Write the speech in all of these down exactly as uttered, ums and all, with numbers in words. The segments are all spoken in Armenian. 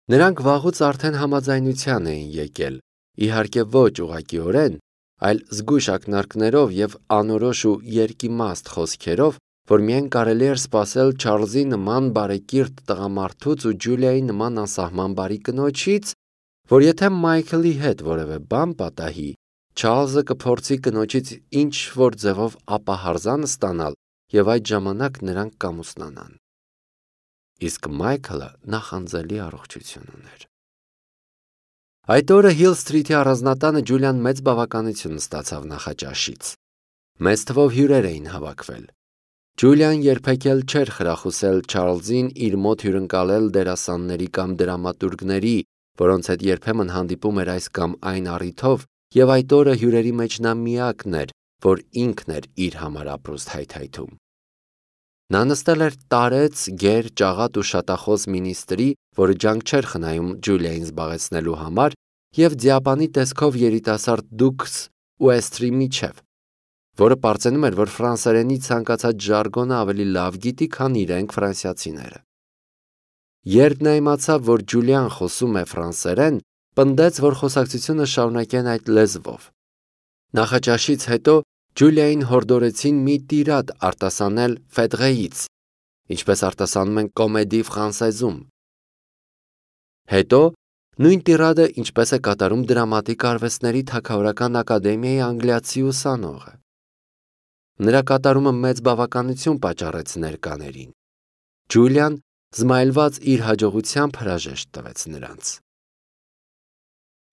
Նրանք վաղուց արդեն համաձայնության էին եկել, իհարկե ոչ ուղղակիորեն, այլ զգույշ ակնարկներով և անորոշ ու երկիմաստ խոսքերով, որ միայն կարելի էր սպասել Չարլզի նման բարեկիրթ տղամարդուց ու Ջուլիայի նման անսահման բարի կնոջից, որ եթե Մայքլի հետ որևէ բան պատահի, Չարլզը կփորձի կնոջից ինչ-որ ձևով ապահարզան ստանալ և այդ ժամանակ նրանք կամուսնանան։ Իսկ Մայքլը նախանձելի առողջություն ուներ։ Այդ օրը Հիլ Սթրիթի առանձնատանը Ջուլիան մեծ բավականություն ստացավ նախաճաշից։ Մեծ թվով հյուրեր էին հավաքվել։ Ջուլիան երբեք էլ չէր խրախուսել Չարլզին իր մոտ հյուրընկալել դերասանների կամ դրամատուրգների, որոնց հետ երբեմն հանդիպում էր այս կամ այն առիթով, և այդ օրը հյուրերի մեջ նա միակն էր, որ ինքն էր իր համար ապրուստ հայթայթում։ Նա նստել էր տարեց, գեր, ճաղատ ու շատախոս մինիստրի, որը ջանք չէր խնայում Ջուլիային զբաղեցնելու համար, և ձիապանի տեսքով երիտասարդ դուքս Ուեսթրի միջև, որը պարծենում էր, որ ֆրանսերենի ցանկացած ժարգոնը ավելի լավ գիտի, քան իրենք ֆրանսիացիները։ Երբ նա իմացավ, որ Ջուլիան խոսում է ֆրանսերեն, պնդեց, որ խոսակցությունը շարունակեն այդ լեզվով։ Նախաճաշից հետո Ջուլիային հորդորեցին մի տիրադ արտասանել Ֆեդղեից, ինչպես արտասանում են Կոմեդի Ֆրանսեզում։ Հետո նույն տիրադը ինչպես է կատարում դրամատիկ արվեստների թագավորական ակադեմիայի անգլիացի ուսանողը։ Նրա կատարումը մեծ բավականություն պատճառեց ներկաներին։ Ջուլիան զմայլված իր հաջողությամբ հրաժեշտ տվեց նրանց։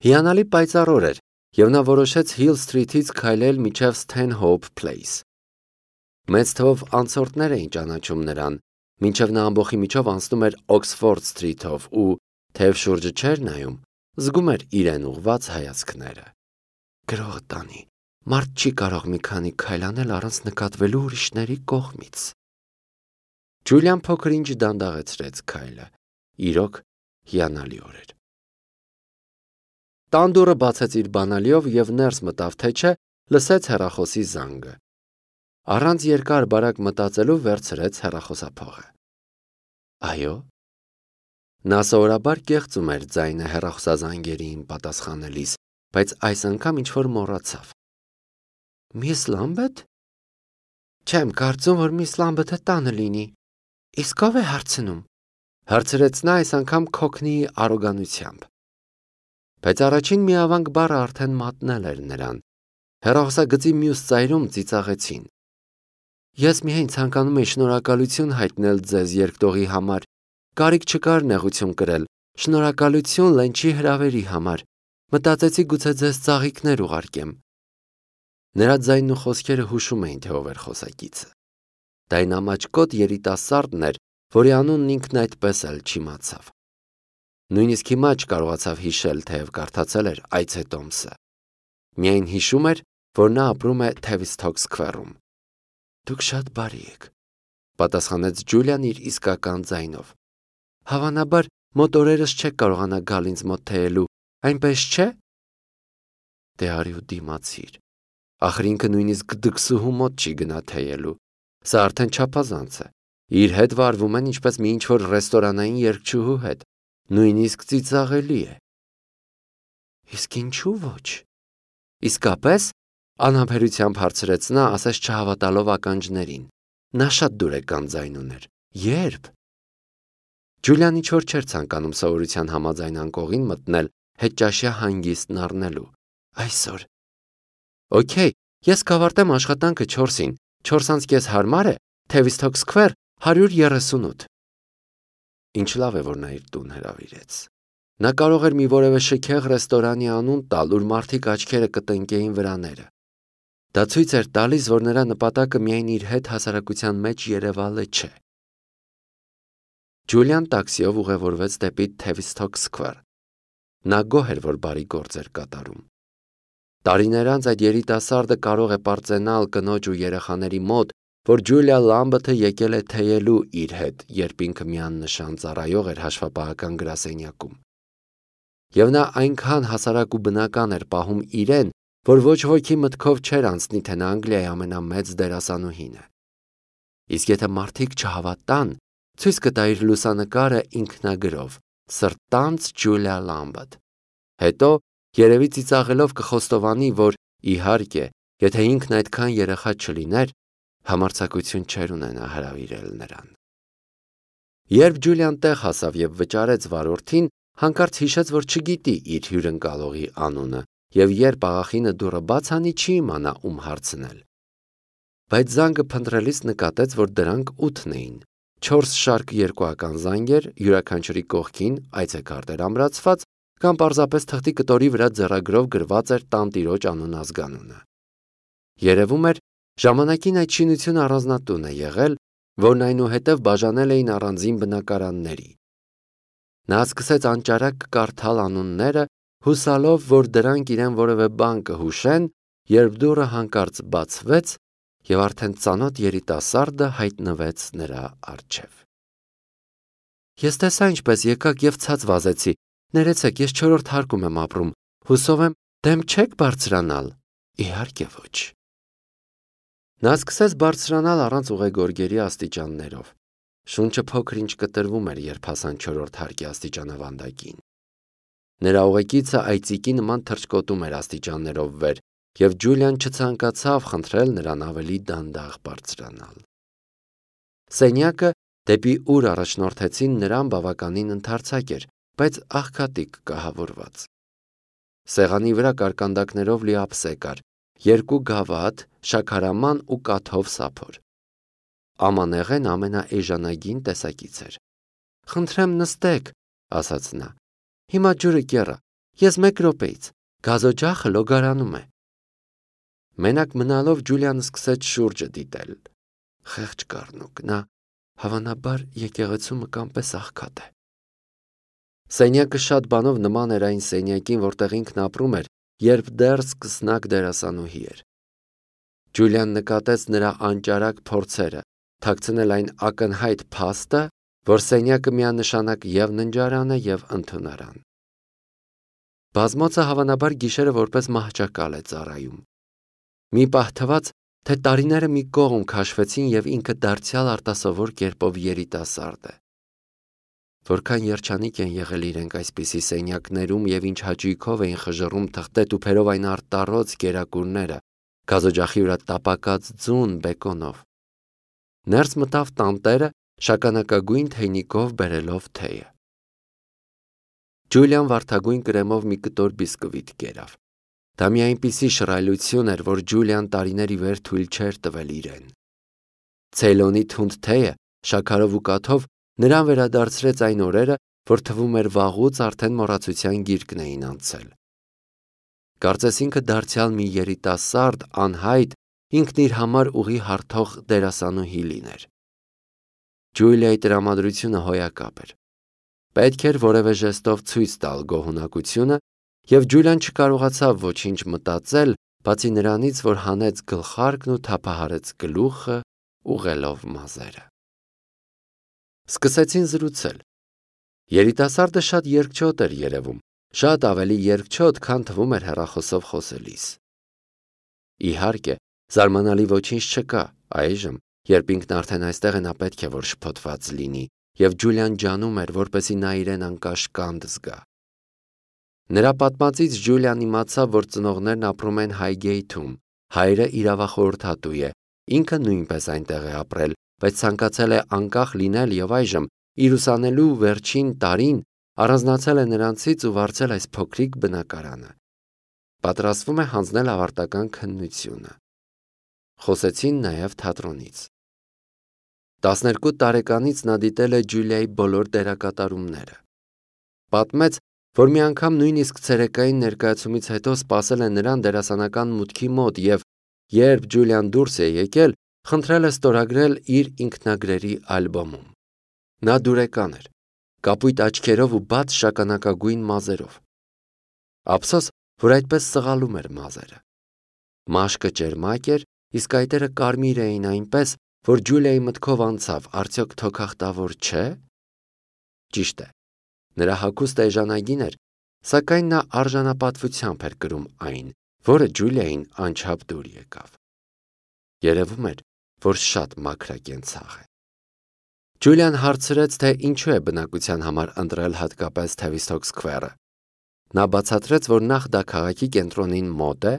Հիանալի պայծառ օր էր, և նա որոշեց Հիլ Սթրիթից քայլել մինչև Սթենհոուփ Փլեյս։ Մեծ թվով անցորդներ էին ճանաչում նրան, մինչև նա ամբոխի միջով անցնում էր Օքսֆորդ Սթրիթով ու, թեև շուրջը չէր նայում, զգում էր իրեն ուղղված հայացքները։ Գրողը տանի, մարդ չի կարող մի քանի քայլ անել առանց նկատվելու ուրիշների կողմից։ Ջուլիան փոքր-ինչ դանդաղեցրեց քայլը։ Իրոք հիանալի օր էր։ Տան դուռը բացեց իր բանալիով և ներս մտավ, թե չէ, լսեց հեռախոսի զանգը։ Առանց երկար բարակ մտածելու վերցրեց հեռախոսափողը։ Այո։ Նա սովորաբար կեղծում էր ձայնը հեռախոսազանգերին պատասխանելիս, բայց այս անգամ ինչ-որ մոռացավ։ Միս Լամբեթ։ Չեմ կարծում, որ միս Լամբեթը տանը լինի։ Իսկ ով է հարցնում, հարցրեց նա այս անգամ Քոքնիի արոգանությամբ։ Բայց առաջին միավանք բառը արդեն մատնել էր նրան։ Հեռախոսագծի մյուս ծայրում ծիծաղեցին։ Ես միայն ցանկանում էի շնորհակալություն հայտնել ձեզ երկտողի համար։ Կարիք չկար նեղություն կրել, շնորհակալություն լենչի հրավերի համար։ Մտածեցի գուցե ձեզ ծաղիկներ ուղարկեմ։ Նրա ձայնն ու խոսքերը հուշում էին, թե ով էր խոսակիցը։ Դա այն ամաչկոտ երիտասարդն էր, որի անունն ինքն այդպես էլ չիմացավ։ Նույնիսկ հիմա չկարողացավ հիշել, թեև կարդացել էր Այցետոմսը։ Միայն հիշում էր, որ նա ապրում է Թևիսթոք Սքվերում։ Դուք շատ բարի եք, պատասխանեց Ջուլիան իր իսկական ձայնով։ Հավանաբար մոտ օրերս չեք կարողանա գալ ինձ մոտ թեյելու, այնպես չէ։ Դե արի ու դիմացիր։ Ախր ինքը նույնիսկ դքսուհու մոտ չի գնա թեյելու։ Սա արդեն չափազանց է։ Իր հետ վարվում են ինչպես մի ինչ-որ ռեստորանային երգչուհու հետ։ Նույնիսկ ծիծաղելի է։ Իսկ ինչու ոչ։ Իսկապես, անհամբերությամբ հարցրեց նա, ասես չհավատալով ականջներին։ Նա շատ դուրեկան ձայն ուներ։ Երբ։ Ջուլիան ինչ-որ չէր ցանկանում սովորության համաձայն անկողին մտնել հետճաշյա հանգիստն առնելու։ Այսօր։ Okay, ես կավարտեմ աշխատանքը չորսին, չորս անց կես հարմար է, Թևիսթոք Սքվեր հարյուր երեսունութ։ Ինչ լավ է, որ նա իր տուն հրավիրեց։ Նա կարող էր մի որևէ շքեղ ռեստորանի անուն տալ, ուր մարդիկ աչքերը կտնկեին վրաները։ Դա ցույց էր տալիս, որ նրա նպատակը միայն իր հետ հասարակության մեջ երևալը չէ։ Ջուլիան տաքսիով ուղևորվեց դեպի Թևիսթոք Սքվեր։ Նա գոհ էր, որ բարի գործ էր կատարում։ Տարիներ անց այդ երիտասարդը կարող է պարծենալ կնոջ ու երեխաների մոտ, որ Ջուլիա Լամբեթը եկել է թեյելու իր հետ, երբ ինքը միաննշան ծառայող էր հաշվապահական գրասենյակում։ Եվ նա այնքան հասարակ ու բնական էր պահում իրեն, որ ոչ ոքի մտքով չէր անցնի, թե նա Անգլիայի ամենամեծ դերասանուհին է։ Իսկ եթե մարդիկ չհավատան, ցույց կտա իր լուսանկարը ինքնագրով, սրտանց Ջուլիա Լամբդ։ Հետո երևի ծիծաղելով կխոստովանի, որ իհարկե, եթե ինքն այդքան երեխա չլիներ, համարձակություն չէր ունենա հրավիրել նրան։ Երբ Ջուլիան տեղ հասավ եւ վճարեց վարորդին, հանկարծ հիշեց, որ չգիտի իր հյուրընկալողի անունը, եւ երբ աղախինը դուռը բաց անի, չի իմանա ում հարցնել։ Բայց զանգը փնտրելիս նկատեց, որ դրանք ութն էին։ Չորս շարք երկուական զանգեր, յուրաքանչյուրի կողքին այցեքարտեր ամրացված, կամ պարզապես թղթի կտորի վրա ձեռագրով գրված էր տանտիրոջ անուն ազգանունը։ Երևում էր, ժամանակին այդ շինությունը առանձնատուն է եղել, որն այնուհետև բաժանել էին առանձին բնակարանների։ Նա սկսեց անճարակ կարդալ անունները, հուսալով, որ դրանք իրեն որևէ բան կհուշեն, երբ դուռը հանկարծ բացվեց եւ արդեն ծանոթ երիտասարդը հայտնվեց նրա առջև։ Ես տեսա ինչպես եկաք եւ ցած վազեցի։ Ներեցեք, ես չորրորդ հարկում եմ ապրում։ Հուսով եմ, դեմ չեք բարձրանալ։ Իհարկե ոչ։ Նա սկսեց բարձրանալ առանց ուղեգորգերի աստիճաններով։ Շունչը փոքր-ինչ կտրվում էր, երբ հասան չորրորդ հարկի աստիճանավանդակին։ Նրա ուղեկիցը այծիկի նման թռչկոտում էր աստիճաններով վեր, եւ Ջուլիան չցանկացավ խնդրել նրան ավելի դանդաղ բարձրանալ։ Սենյակը, դեպի ուր առաջնորդեցին նրան, բավականին ընդարձակ էր, բայց աղքատիկ կահավորված։ Սեղանի վրա կարկանդակներով լի ափսե կար, երկու գավաթ, շաքարաման ու կաթով սափոր։ Ամանեղեն ամենաէժանագին տեսակից էր։ Խնդրեմ նստեք, ասաց նա։ Հիմա ջուրը կեռա, ես մեկ րոպեից, գազօջախը լոգարանում է։ Մենակ մնալով Ջուլիան սկսեց շուրջը դիտել։ Խեղճ կառնուկ, նա հավանաբար եկեղեցու մկան պես աղքատ է։ Սենյակը շատ բանով նման էր այն սենյակին, որտեղ ինքն ապրում էր, երբ դեռ սկսնակ դերասանուհի էր։ Ջուլիան նկատեց նրա անճարակ փորձերը, թաքցնել այն ակնհայտ փաստը, որ սենյակը միանշանակ եւ ննջարան է եւ ընդունարան։ Բազմոցը հավանաբար գիշերը որպես մահճակալ է ծառայում։ Մի պահ թվաց, թե տարիները մի կողմ քաշվեցին եւ ինքը դարձյալ արտասովոր կերպով երիտասարդ է։ Որքան երջանիկ են եղել իրենք այսպիսի սենյակներում եւ ինչ հաճույքով էին խժռում թղթե-տուփերով այն արտառոց կերակուրները, գազօջախի վրա տապակած ձուն բեկոնով։ Ներս մտավ տանտերը, շագանակագույն թեյնիկով բերելով թեյը։ Ջուլիան վարդագույն կրեմով մի կտոր բիսկվիտ կերավ։ Դա մի այնպիսի շռայլություն էր, որ Ջուլիան տարիների վեր թույլ չէր տվել իրեն։ Ցեյլոնի թունդ թեյը, շաքարով ու կաթով նրան վերադարձրեց այն օրերը, որ թվում էր վաղուց արդեն մոռացության գիրկն էին անցել։ Կարծես ինքը դարձյալ մի երիտասարդ, անհայտ, ինքն իր համար ուղի հարթող դերասանուհի լիներ։ Ջուլիայի տրամադրությունը հոյակապ էր։ Պետք էր որևէ ժեստով ցույց տալ գոհունակությունը, եւ Ջուլիան չկարողացավ ոչինչ մտածել, բացի նրանից, որ հանեց գլխարկն ու թափահարեց գլուխը, ուղելով մազերը։ Սկսեցին զրուցել։ Երիտասարդը շատ երկչոտ էր երևում, շատ ավելի երկչոտ, քան թվում էր հեռախոսով խոսելիս։ Իհարկե, զարմանալի ոչինչ չկա, այժմ, երբ ինքն արդեն այստեղ է, նա պետք է որ շփոթված լինի, եւ Ջուլիան ջանում էր, որպեսզի նա իրեն անկաշկանդ զգա։ Նրա պատմածից Ջուլիան իմացավ, որ ծնողներն ապրում են Հայգեյթում, հայրը իրավախորհրդատու է, ինքը նույնպես այնտեղ է ապրել, բայց ցանկացել է անկախ լինել եւ այժմ, իր ուսանելու վերջին տարին, առանձնացել է նրանցից ու վարձել այս փոքրիկ բնակարանը։ Պատրաստվում է հանձնել ավարտական քննությունը։ Խոսեցին նաեւ թատրոնից։ տասներկու տարեկանից նա դիտել է Ջուլիայի բոլոր դերակատարումները։ Պատմեց, որ մի անգամ նույնիսկ ցերեկային ներկայացումից հետո սպասել է նրան դերասանական մուտքի մոտ եւ երբ Ջուլիան դուրս է եկել, խնդրել է ստորագրել իր ինքնագրերի ալբոմում։ Նա դուրեկան էր, կապույտ աչքերով ու բաց շագանակագույն մազերով։ Ափսոս, որ այդպես սղալում էր մազերը։ Մաշկը ճերմակ էր, իսկ այտերը կարմիր էին այնպես, որ Ջուլիայի մտքով անցավ, արդյոք թոքախտավոր չէ։ Ճիշտ է, նրա հագուստը էժանագին էր, սակայն նա արժանապատվությամբ էր կրում այն, որը Ջուլիային անչափ դուր եկավ։ Երևում էր, որ շատ մաքրակենցաղ է։ Ջուլիան հարցրեց, թե ինչու է բնակության համար ընտրել հատկապես Tavistock Square-ը։ Նա բացատրեց, որ նախ դա քաղաքի կենտրոնին մոտ է,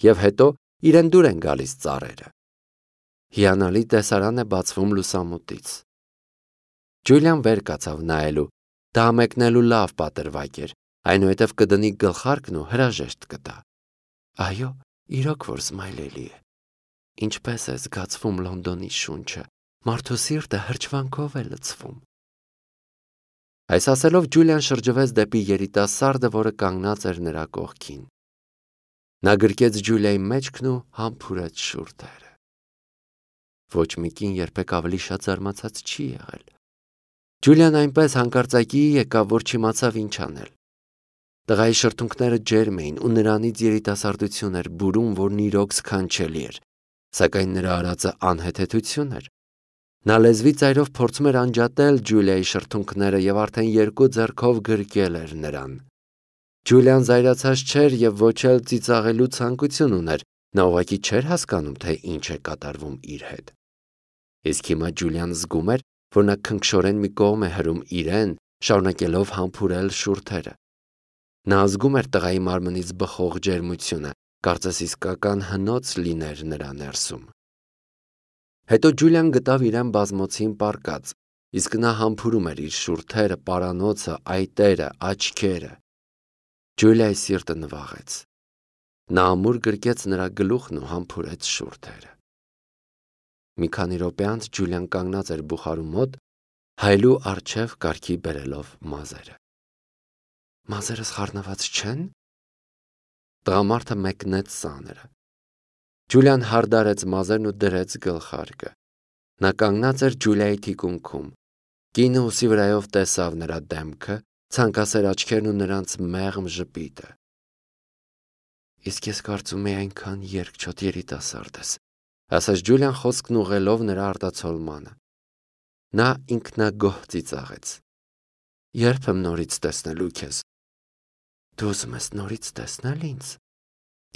եւ հետո իրեն դուր են գալիս ծառերը։ Հիանալի տեսարան է բացվում լուսամուտից։ Ջուլիան վեր կացավ նայելու, դա մեկնելու լավ պատրվակ էր, այնուհետև կդնի գլխարկն ու հրաժեշտ կտա։ Այո, իրոք որ սմայլելի է։ Ինչպես է զգացվում Լոնդոնի շունչը, մարդու սիրտը հրճվանքով է լցվում։ Այս ասելով Ջուլիան շրջվեց դեպի երիտասարդը, որը կանգնած էր նրա կողքին։ Նա գրկեց Ջուլիայի մեջքն ու համբուրեց շուրթերը։ Ոչ մի կին երբեք ավելի շատ զարմացած չի եղել։ Ջուլիան այնպես հանկարծակի եկավ, որ չիմացավ ինչ անել։ Տղայի շրթունքները ջերմ էին ու նրանից երիտասարդություն էր բուրում, որն իրոք սքանչելի էր, սակայն նրա արածը անհեթեթություն էր։ Նա լեզվի ծայրով փորձում էր անջատել Ջուլիայի շրթունքները եւ արդեն երկու ձեռքով գրկել էր նրան։ Ջուլիան զայրացած չէր եւ ոչ էլ ծիծաղելու ցանկություն ուներ, նա ուղղակի չէր հասկանում, թե ինչ է կատարվում իր հետ։ Իսկ հիմա Ջուլիան զգում էր, որ նա քնքշորեն մի կողմ է հրում իրեն, շարունակելով համբուրել շուրթերը։ Նա զգում էր տղայի մարմնից բխող ջերմությունը, կարծես իսկական հնոց լիներ նրա ներսում։ Հետո Ջուլիան գտավ իրեն բազմոցին պառկած, իսկ նա համբուրում էր իր շուրթերը, պարանոցը, այտերը, աչքերը։ Ջուլիայի սիրտը նվաղեց։ Նա ամուր գրկեց նրա գլուխն ու համբուրեց շուրթերը։ Մի քանի րոպե անց Ջուլիան կանգնած էր բուխարու մոտ, հայելու առջև կարգի բերելով մազերը։ Մազերս խառնված չեն։ Տղամարդը մեկնեց սաները։ Ջուլիան հարդարեց մազերն ու դրեց գլխարկը։ Նա կանգնած էր Ջուլիայի թիկունքում։ Կինը ուսի վրայով տեսավ նրա դեմքը, ցանկասեր աչքերն ու նրանց մեղմ ժպիտը։ Իսկ ես կարծում էի այնքան երկչոտ երիտասարդ ես, ասաց Ջուլիան խոսքն ուղղելով նրա արտացոլմանը։ Նա ինքնագոհ ծիծաղեց։ Երբ եմ նորից տեսնելու քեզ։ Դու ուզում ես նորից տեսնել ինձ։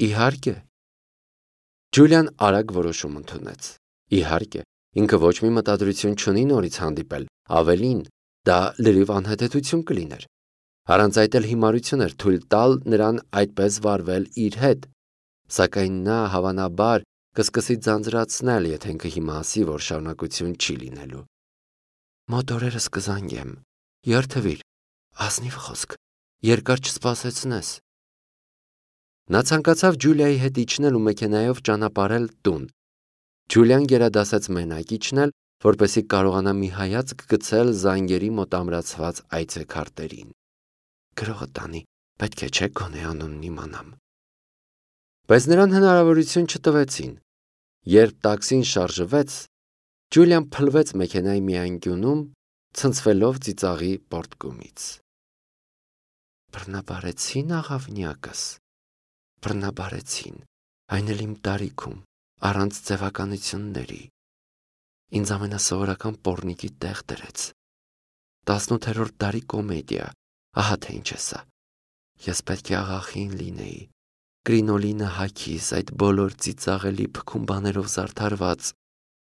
Իհարկե։ Ջուլիան արագ որոշում ընդունեց։ Իհարկե, ինքը ոչ մի մտադրություն չունի նորից հանդիպել, ավելին, դա լրիվ անհեթեթություն կլիներ։ Առանց այդ էլ հիմարություն էր թույլ տալ նրան այդպես վարվել իր հետ, սակայն նա հավանաբար կսկսի ձանձրացնել, եթե ինքը հիմա ասի, որ շարունակություն չի լինելու։ Մոտ օրերս կզանգեմ, երթվիր, ազնիվ խոսք, երկար չսպասեցնես։ Նա ցանկացավ Ջուլիայի հետ իջնել ու մեքենայով ճանապարհել տուն։ Ջուլիան գերադասեց մենակ իջնել, որպեսզի կարողանա մի հայացք գցել զանգերի մոտ ամրացված այցեքարտերին։ Գրողը տանի, պետք է չէ գոնե անունն իմանամ։ Բայց նրան հնարավորություն չտվեցին։ Երբ տաքսին շարժվեց, Ջուլիան փլվեց մեքենայի մի անկյունում, ցնցվելով ծիծաղի պորտկումից։ Բռնաբարեցին աղավնյակս, բռնաբարեցին, այն էլ իմ տարիքում, առանց ձևականությունների։ Ինձ ամենասովորական պոռնիկի տեղ դրեց։ տասնութերորդ դարի կոմեդիա, ահա թե ինչ է սա։ Ես պետք է աղախին լինեի, կրինոլինը հագիս, այդ բոլոր ծիծաղելի փքում բաներով զարդարված,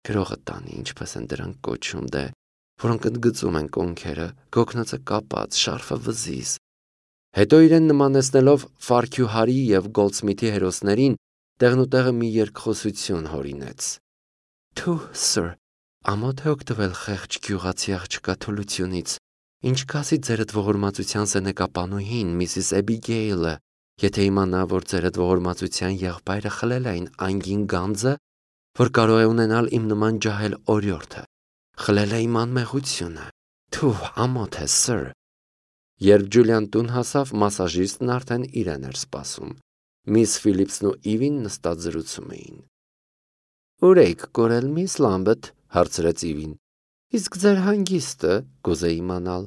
գրողը տանի, ինչպես են դրանք կոչում, դե, որոնք ընդգծում են կոնքերը, գոգնոցը կապած, շարֆը վզից։ Հետո իրեն նմանեցնելով Ֆարքյուհարի և Գոլդսմիթի հերոսներին, տեղնուտեղը մի երկխոսություն հորինեց։ Թու, սըր, ամոթ է օգտվել խեղճ գյուղացի աղջկա թուլությունից, ինչ կասի ձերդ ողորմածության սենեկապանուհին, Միսիս Էբիգեյլը, եթե իմանա, որ ձերդ ողորմածության եղբայրը խլել է այն անգին գանձը, որ կարող է ունենալ իմ նման ջահել օրիորդը, խլել է իմ անմեղությունը։ Թու, ամոթ է, սըր։ Երբ Ջուլիան տուն հասավ, մասաժիստն արդեն իրեն էր սպասում։ Միս Ֆիլիպսն ու Իվին նստած զրուցում էին։ Ուր էիք կորել, միս Լամբեթ, հարցրեց Իվին։ Իսկ ձեր հանգիստը, կուզեի իմանալ։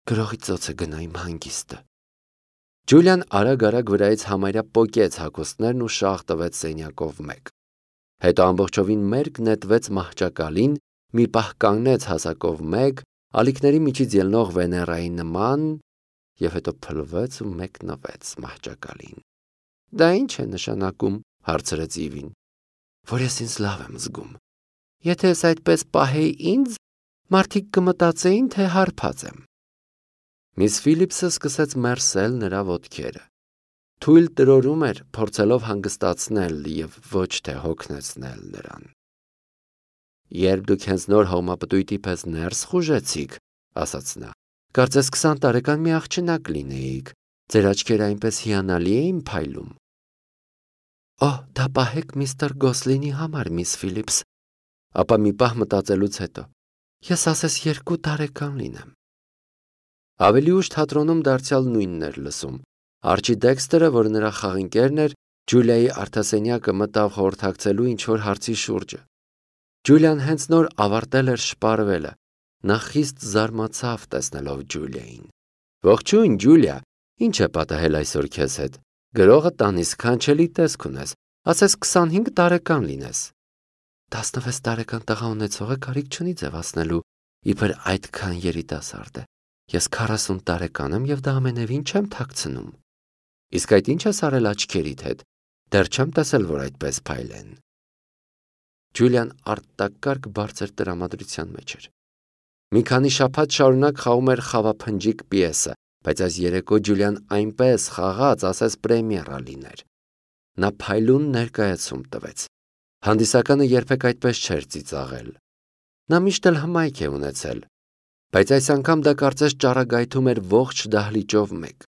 Գրողի ծոցը գնա իմ հանգիստը։ Ջուլիան արագ-արագ վրայից համարյա պոկեց հագուստներն ու շաղ տվեց սենյակով մեկ։ Հետո ամբողջովին մերկ նետվեց մահճակալին, մի պահ կանգնեց հասակով մեկ, ալիքների միջից ելնող Վեներայի նման, և հետո փլվեց ու մեկնվեց մահճակալին։ Դա ինչ է նշանակում, հարցրեց Իվին։ Որ ես ինձ լավ եմ զգում։ Եթե ես այդպես պահեի ինձ, Մարդիկ կմտածեին, թե հարբած եմ։ Միս Ֆիլիպսը սկսեց մերսել նրա ոտքերը։ Թույլ տրորում էր, փորձելով հանգստացնել և ոչ թե հոգնեցնել նրան։ Երբ դուք հենց նոր հողմապտույտի պես ներս խուժեցիք, ասաց նա, կարծես քսան տարեկան մի աղջնակ լինեիք, ձեր աչքերը այնպես հիանալի էին փայլում։ Օհ, դա պահեք միստր Գոսլինի համար, միս Ֆիլիպս, ապա մի պահ մտածելուց հետո, ես ասես երկու տարեկան լինեմ։ Ավելի ուշ թատրոնում դարձյալ նույնն էր լսում։ Արջի Դեքստերը, որ նրա խաղընկերն էր, Ջուլիայի արդասենյակը մտավ խորհրդակցելու ինչ-որ հարցի շուրջը։ Ջուլիան հենց նոր ավարտել էր շպարվելը։ Նա խիստ զարմացավ տեսնելով Ջուլիային։ Ողջույն, Ջուլիա, ինչ է պատահել այսօր քեզ հետ։ Գրողը տանիս քանչելի տեսք ունես, ասես քսանհինգ տարեկան լինես։ տասնվեց տարեկան տղա ունեցողը կարիք չունի ձևացնելու, իբր այդքան երիտասարդ է։ Ես քառասուն տարեկան եմ և դա ամենևին չեմ թաքցնում։ Իսկ այդ ինչ ես արել աչքերիդ հետ։ Դեռ չեմ տեսել, որ այդպես փայլեն։ Ջուլիան արտակարգ բարձր տրամադրության մեջ էր։ Մի քանի շաբաթ շարունակ խաղում էր խավափնջիկ պիեսը, բայց այս երեկո Ջուլիան այնպես խաղաց, ասես պրեմիերա լիներ։ Նա փայլուն ներկայացում տվեց։ Հանդիսականը երբեք այդպես չէր ծիծաղել։ Նա միշտ էլ հմայք է ունեցել, բայց այս անգամ դա կարծես ճառագայթում էր ողջ դահլիճով մեկ։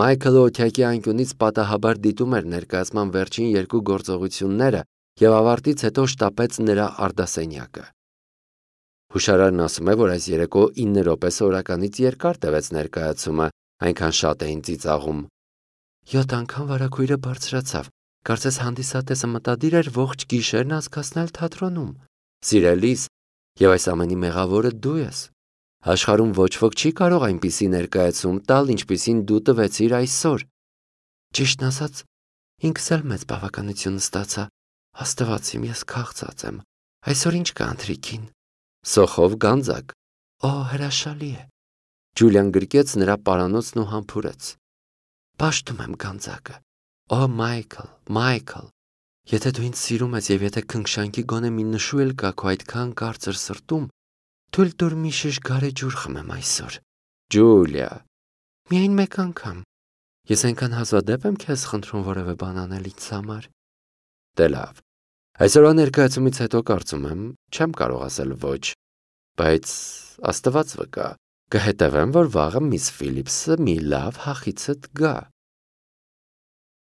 Մայքլը օթյակի անկյունից պատահաբար դիտում էր ներկայացման վերջին երկու գործողությունները և ավարտից հետո շտապեց նրա արդասենյակը։ Հուշարարն ասում է, որ այս երեկո ինը րոպե սովորականից երկար տևեց ներկայացումը, այնքան շատ էին ծիծաղում։ Յոթ անգամ վարագույրը բարձրացավ, կարծես հանդիսատեսը մտադիր էր ողջ գիշերն անցկացնել թատրոնում։ Սիրելիս, և այս ամենի մեղավորը դու ես։ Աշխարհում ոչ ոք չի կարող այնպիսի ներկայացում տալ, ինչպիսին դու տվեցիր այսօր։ Ճիշտն ասած, ինքս էլ մեծ բավականություն ստացա։ Աստված իմ, ես քաղցած եմ։ Այսօր ինչ կա ընթրիքին։ Սոխով գանձակ։ Օ, հրաշալի է։ Ջուլիան գրկեց նրա պարանոցն ու համբուրեց։ Պաշտում եմ գանձակը։ Օ, Մայքլ, Մայքլ, եթե դու ինձ սիրում ես և եթե քնքշանքի գոնե մի նշու էլ կա քո այդքան կարծր սրտում, թույլ տուր մի շիշ գարեջուր խմեմ այսօր։ Ջուլիա։ Միայն մեկ անգամ։ Ես այնքան հազվադեպ եմ քեզ խնդրում որևէ բան անել ինձ համար։ Դե լավ։ Այսօրվա ներկայացումից հետո կարծում եմ, չեմ կարող ասել ոչ, բայց Աստված վկա, կհետևեմ, որ վաղը միս Ֆիլիպսը մի լավ հախիցդ գա։